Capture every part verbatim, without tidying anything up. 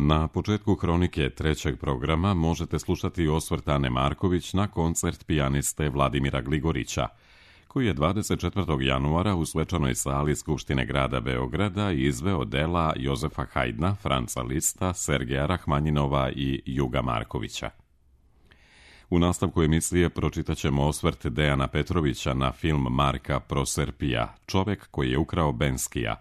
Na početku hronike trećeg programa možete slušati osvrt Ane Marković na koncert pijaniste Vladimira Gligorića, koji je dvadeset četvrtog januara u svečanoj sali Skupštine grada Beograda izveo dela Jozefa Hajdna, Franca Lista, Sergeja Rahmanjinova i Juga Markovića. U nastavku emisije pročitat ćemo osvrt Dejana Petrovića na film Marka Proserpija, Čovek koji je ukrao Benskija,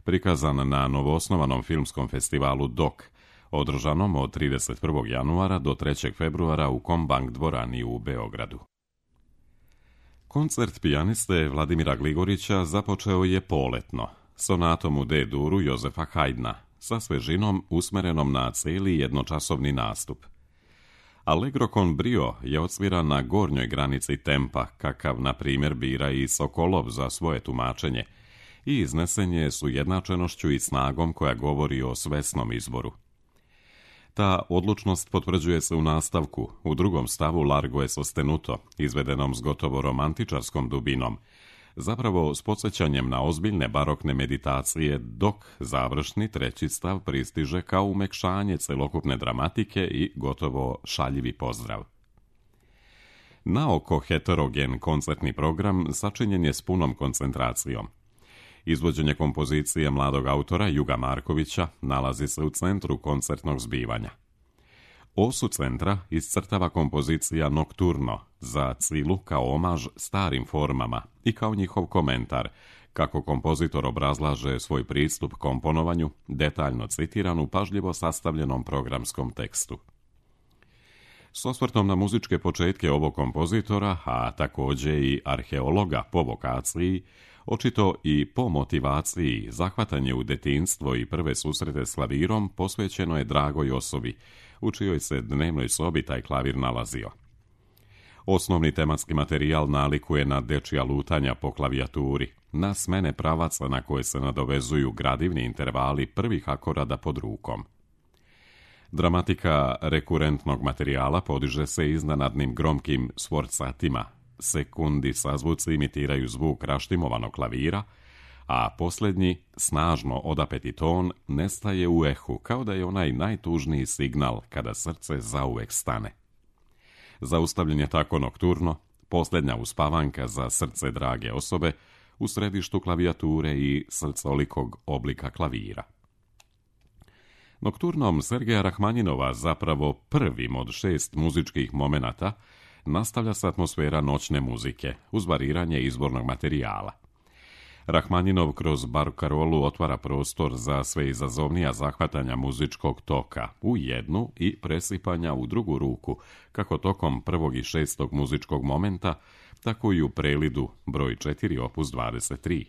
prikazan na novoosnovanom filmskom festivalu D O K, održanom od trideset prvog januara do trećeg februara u Kombank dvorani u Beogradu. Koncert pijaniste Vladimira Gligorića započeo je poletno, sonatom u D-duru Jozefa Hajdna, sa svežinom usmerenom na cijeli jednočasovni nastup. Allegro con brio je odsviran na gornjoj granici tempa, kakav, na primjer, bira i Sokolov za svoje tumačenje, i iznesen je s ujednačenošću i snagom koja govori o svesnom izboru. Ta odlučnost potvrđuje se u nastavku, u drugom stavu Largo e sostenuto, izvedenom s gotovo romantičarskom dubinom, zapravo s podsjećanjem na ozbiljne barokne meditacije, dok završni treći stav pristiže kao umekšanje celokupne dramatike i gotovo šaljivi pozdrav. Naoko heterogen koncertni program sačinjen je s punom koncentracijom. Izvođenje kompozicije mladog autora Juga Markovića nalazi se u centru koncertnog zbivanja. Osu centra iscrtava kompozicija Nokturno za Cilu kao omaž starim formama i kao njihov komentar, kako kompozitor obrazlaže svoj pristup komponovanju, detaljno citiran u pažljivo sastavljenom programskom tekstu. S osvrtom na muzičke početke ovog kompozitora, a također i arheologa po vokaciji, očito i po motivaciji, zahvatanje u detinjstvo i prve susrete s klavirom posvećeno je dragoj osobi, u čijoj se dnevnoj sobi taj klavir nalazio. Osnovni tematski materijal nalikuje na dečija lutanja po klavijaturi, na smene pravaca na koje se nadovezuju gradivni intervali prvih akorada pod rukom. Dramatika rekurentnog materijala podiže se iznenadnim gromkim sforcatima, sekundi sazvuci imitiraju zvuk raštimovanog klavira, a posljednji, snažno odapeti ton, nestaje u ehu, kao da je onaj najtužniji signal kada srce zauvek stane. Zaustavljen je tako nokturno, posljednja uspavanka za srce drage osobe, u središtu klavijature i srcolikog oblika klavira. Nokturnom Sergeja Rahmanjinova, zapravo prvim od šest muzičkih momenata, nastavlja se atmosfera noćne muzike, uz variranje izbornog materijala. Rahmanjinov kroz barkarolu otvara prostor za sve izazovnija zahvatanja muzičkog toka u jednu i presipanja u drugu ruku, kako tokom prvog i šestog muzičkog momenta, tako i u prelidu broj četiri opus dvadeset tri.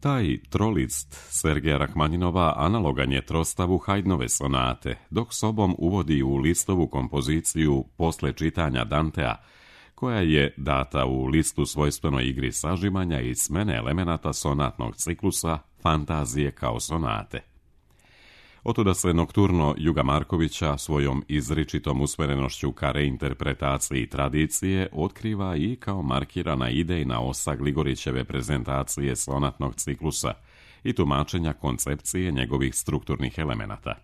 Taj trolist Sergeja Rahmanjinova analogan je trostavu Hajdnove sonate, dok sobom uvodi u Listovu kompoziciju posle čitanja Dantea, koja je data u Listu svojstvenoj igri sažimanja i smene elemenata sonatnog ciklusa fantazije kao sonate. Otuda se Nokturno Juga Markovića svojom izričitom usmerenošću ka reinterpretaciji tradicije otkriva i kao markirana idejna osa Gligorićeve prezentacije sonatnog ciklusa i tumačenja koncepcije njegovih strukturnih elemenata.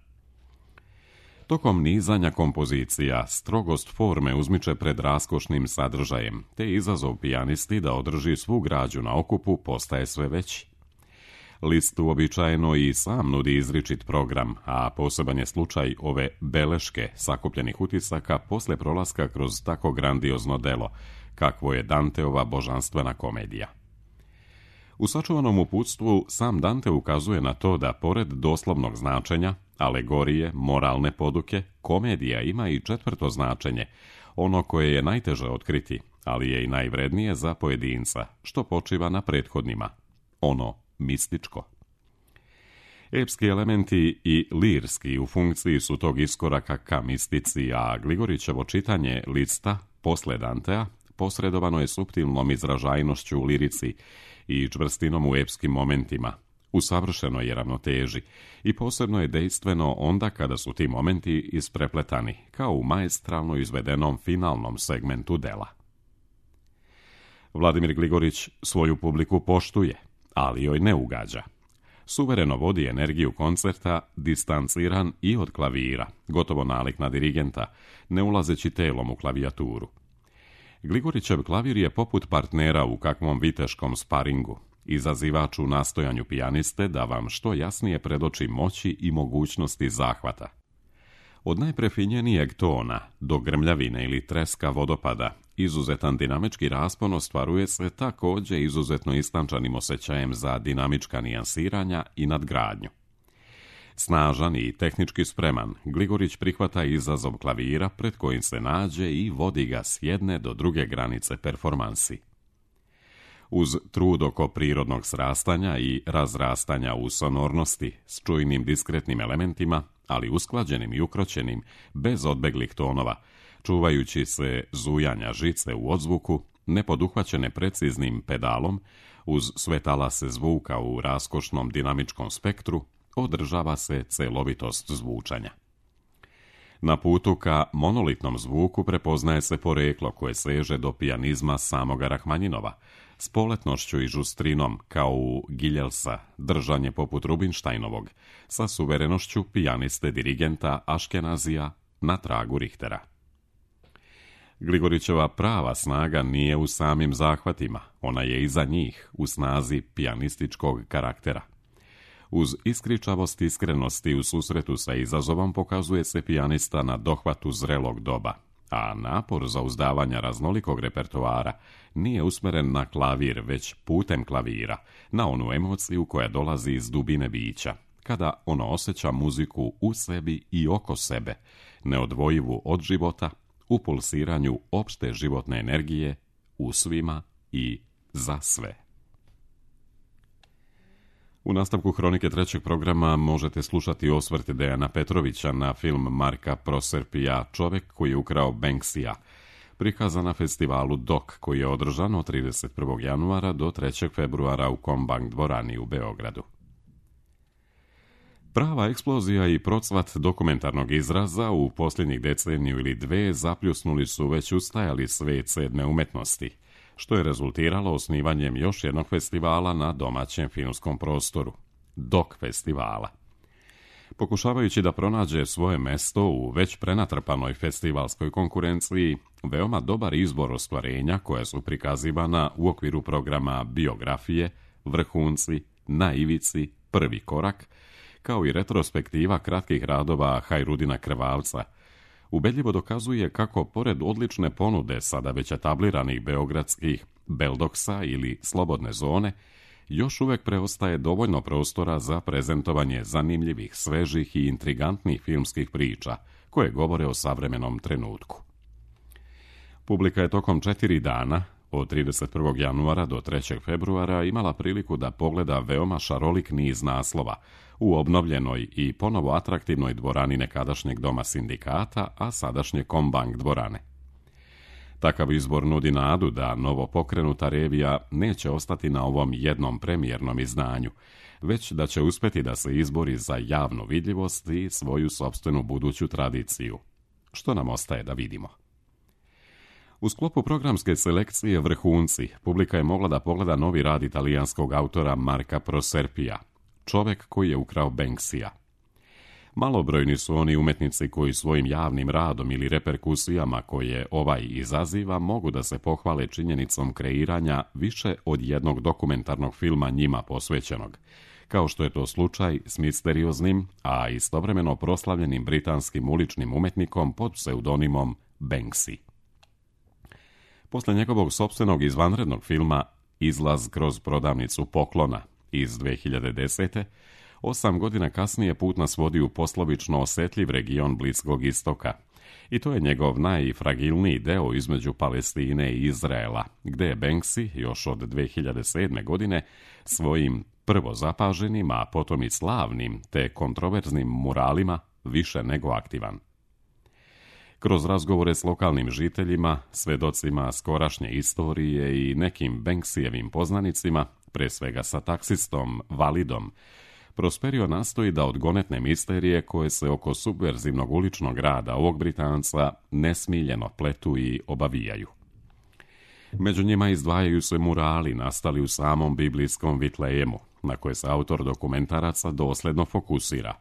Tokom nizanja kompozicija strogost forme uzmiče pred raskošnim sadržajem, te izazov pijanisti da održi svu građu na okupu postaje sve veći. List uobičajeno i sam nudi izričit program, a poseban je slučaj ove beleške sakupljenih utisaka posle prolaska kroz tako grandiozno delo, kakvo je Danteova božanstvena komedija. U sačuvanom uputstvu sam Dante ukazuje na to da pored doslovnog značenja, alegorije, moralne poduke, komedija ima i četvrto značenje, ono koje je najteže otkriti, ali je i najvrednije za pojedinca, što počiva na prethodnima, ono mističko. Epski elementi i lirski u funkciji su tog iskoraka ka mistici, a Gligorićevo čitanje Lista posle Dantea posredovano je suptilnom izražajnošću u lirici i čvrstinom u epskim momentima, u savršenoj je ravnoteži i posebno je dejstveno onda kada su ti momenti isprepletani, kao u maestralno izvedenom finalnom segmentu dela. Vladimir Gligorić svoju publiku poštuje, ali joj ne ugađa. Suvereno vodi energiju koncerta, distanciran i od klavira, gotovo nalik na dirigenta, ne ulazeći telom u klavijaturu. Gligorićev klavir je poput partnera u kakvom viteškom sparingu, izazivač u nastojanju pijaniste da vam što jasnije predoči moći i mogućnosti zahvata. Od najprefinjenijeg tona do grmljavine ili treska vodopada, izuzetan dinamički raspon ostvaruje se također izuzetno istančanim osjećajem za dinamička nijansiranja i nadgradnju. Snažan i tehnički spreman, Gligorić prihvata izazov klavira pred kojim se nađe i vodi ga s jedne do druge granice performansi. Uz trud oko prirodnog srastanja i razrastanja u sonornosti s čujnim diskretnim elementima, ali usklađenim i ukroćenim, bez odbeglih tonova, čuvajući se zujanja žice u odzvuku, nepoduhvaćene preciznim pedalom, uz sve talase zvuka u raskošnom dinamičkom spektru, održava se celovitost zvučanja. Na putu ka monolitnom zvuku prepoznaje se poreklo koje seže do pijanizma samoga Rahmanjinova, s poletnošću i žustrinom kao u Giljelsa, držanje poput Rubinsteinovog, sa suverenošću pijaniste dirigenta Aškenazija na tragu Richtera. Gligorićeva prava snaga nije u samim zahvatima, ona je iza njih, u snazi pijanističkog karaktera. Uz iskričavost iskrenosti u susretu sa izazovom pokazuje se pijanista na dohvatu zrelog doba, a napor za uzdavanja raznolikog repertoara nije usmeren na klavir, već putem klavira, na onu emociju koja dolazi iz dubine bića, kada ono osjeća muziku u sebi i oko sebe, neodvojivu od života, u pulsiranju opšte životne energije, u svima i za sve. U nastavku Hronike trećeg programa možete slušati osvrt Dejana Petrovića na film Marka Proserpija Čovek koji je ukrao Banksija, prikazan na festivalu D O K koji je održan od trideset prvog januara do trećeg februara u Kombank dvorani u Beogradu. Prava eksplozija i procvat dokumentarnog izraza u posljednjih deceniju ili dve zapljusnuli su već ustajali svet sedme umetnosti, što je rezultiralo osnivanjem još jednog festivala na domaćem filmskom prostoru, D O K festivala. Pokušavajući da pronađe svoje mesto u već prenatrpanoj festivalskoj konkurenciji, veoma dobar izbor ostvarenja koja su prikazivana u okviru programa Biografije, Vrhunci, Na ivici, Prvi korak, kao i retrospektiva kratkih radova Hajrudina Krvavca, ubedljivo dokazuje kako, pored odlične ponude sada već etabliranih beogradskih Beldoksa ili Slobodne zone, još uvek preostaje dovoljno prostora za prezentovanje zanimljivih, svežih i intrigantnih filmskih priča, koje govore o savremenom trenutku. Publika je tokom četiri dana, od trideset prvog januara do trećeg februara, imala priliku da pogleda veoma šarolik niz naslova u obnovljenoj i ponovo atraktivnoj dvorani nekadašnjeg Doma sindikata, a sadašnje Kombank dvorane. Takav izbor nudi nadu da novo pokrenuta revija neće ostati na ovom jednom premijernom izdanju, već da će uspjeti da se izbori za javnu vidljivost i svoju sopstvenu buduću tradiciju. Što nam ostaje da vidimo? U sklopu programske selekcije Vrhunci, publika je mogla da pogleda novi rad italijanskog autora Marka Proserpija, Čovek koji je ukrao Banksija. Malobrojni su oni umetnici koji svojim javnim radom ili reperkusijama koje ovaj izaziva mogu da se pohvale činjenicom kreiranja više od jednog dokumentarnog filma njima posvećenog, kao što je to slučaj s misterioznim, a istovremeno proslavljenim britanskim uličnim umetnikom pod pseudonimom Banksy. Posle njegovog sopstvenog izvanrednog filma Izlaz kroz prodavnicu poklona iz dve hiljade desete. Osam godina kasnije put nas vodi u poslovično osjetljiv region Bliskog istoka. I to je njegov najfragilniji deo između Palestine i Izraela, gde je Banksy još od dve hiljade sedme. godine svojim prvo zapaženim, a potom i slavnim te kontroverznim muralima više nego aktivan. Kroz razgovore s lokalnim žiteljima, svedocima skorašnje istorije i nekim Banksijevim poznanicima, pre svega sa taksistom Validom, Prosperio nastoji da odgonetne misterije koje se oko subverzivnog uličnog rada ovog Britanca nesmiljeno pletu i obavijaju. Među njima izdvajaju se murali nastali u samom biblijskom Vitlejemu, na koje se autor dokumentaraca dosljedno fokusira,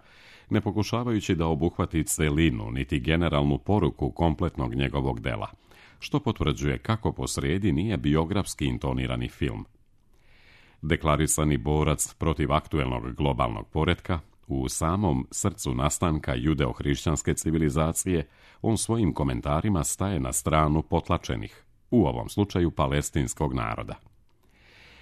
ne pokušavajući da obuhvati celinu niti generalnu poruku kompletnog njegovog dela, što potvrđuje kako posrijedi nije biografski intonirani film. Deklarisani borac protiv aktuelnog globalnog poretka, u samom srcu nastanka judeo-hrišćanske civilizacije, on svojim komentarima staje na stranu potlačenih, u ovom slučaju palestinskog naroda.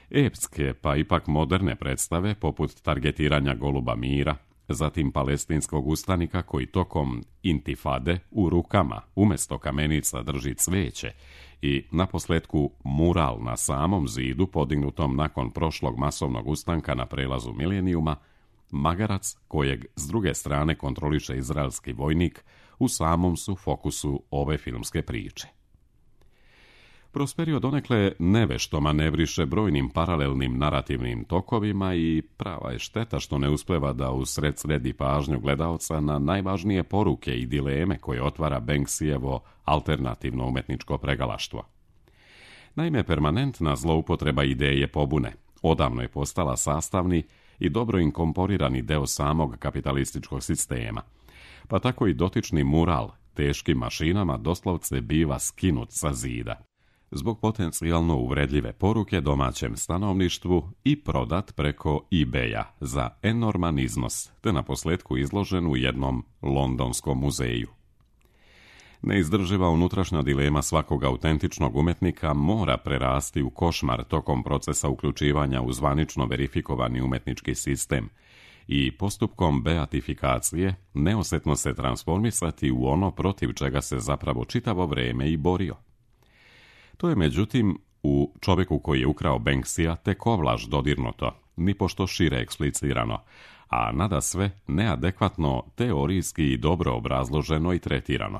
Epske, pa ipak moderne predstave, poput targetiranja Goluba mira, zatim palestinskog ustanika koji tokom intifade u rukama umjesto kamenica drži cveće i naposljetku mural na samom zidu podignutom nakon prošlog masovnog ustanka na prelazu milenijuma, magarac kojeg s druge strane kontroliše izraelski vojnik, u samom su fokusu ove filmske priče. Prosperio donekle nevešto manevriše brojnim paralelnim narativnim tokovima i prava je šteta što ne uspeva da usred sredi pažnju gledaoca na najvažnije poruke i dileme koje otvara Banksyjevo alternativno umetničko pregalaštvo. Naime, permanentna zloupotreba ideje pobune odavno je postala sastavni i dobro inkorporirani deo samog kapitalističkog sistema, pa tako i dotični mural teškim mašinama doslovce biva skinut sa zida zbog potencijalno uvredljive poruke domaćem stanovništvu i prodat preko eBaya za enorman iznos, te naposljetku izložen u jednom londonskom muzeju. Neizdrživa unutrašnja dilema svakog autentičnog umetnika mora prerasti u košmar tokom procesa uključivanja u zvanično verifikovani umetnički sistem i postupkom beatifikacije neosjetno se transformisati u ono protiv čega se zapravo čitavo vrijeme i borio. To je međutim u Čovjeku koji je ukrao Banksyja tek ovlaš dodirnuto, nipošto šire eksplicirano, a nadasve neadekvatno teorijski i dobro obrazloženo i tretirano.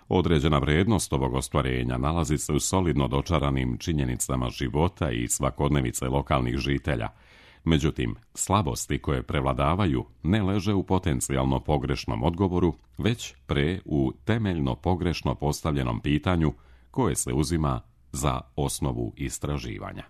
Određena vrijednost ovog ostvarenja nalazi se u solidno dočaranim činjenicama života i svakodnevice lokalnih žitelja, međutim, slabosti koje prevladavaju ne leže u potencijalno pogrešnom odgovoru, već pre u temeljno pogrešno postavljenom pitanju koje se uzima za osnovu istraživanja.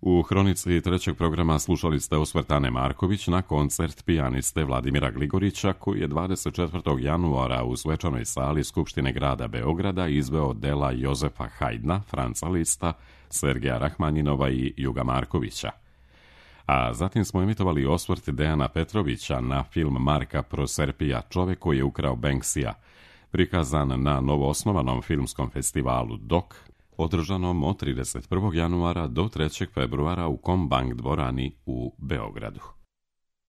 U hronici trećeg programa slušali ste osvrt Ane Marković na koncert pijaniste Vladimira Gligorića, koji je dvadeset četvrtog januara u svečanoj sali Skupštine grada Beograda izveo dela Jozefa Haydna, Franca Lista, Sergeja Rahmanjinova i Juga Markovića. A zatim smo emitovali osvrt Dejana Petrovića na film Marka Proserpija Čovjek koji je ukrao Banksyja, prikazan na novoosnovanom filmskom festivalu D O K, održanom od trideset prvog januara do trećeg februara u Kombank dvorani u Beogradu.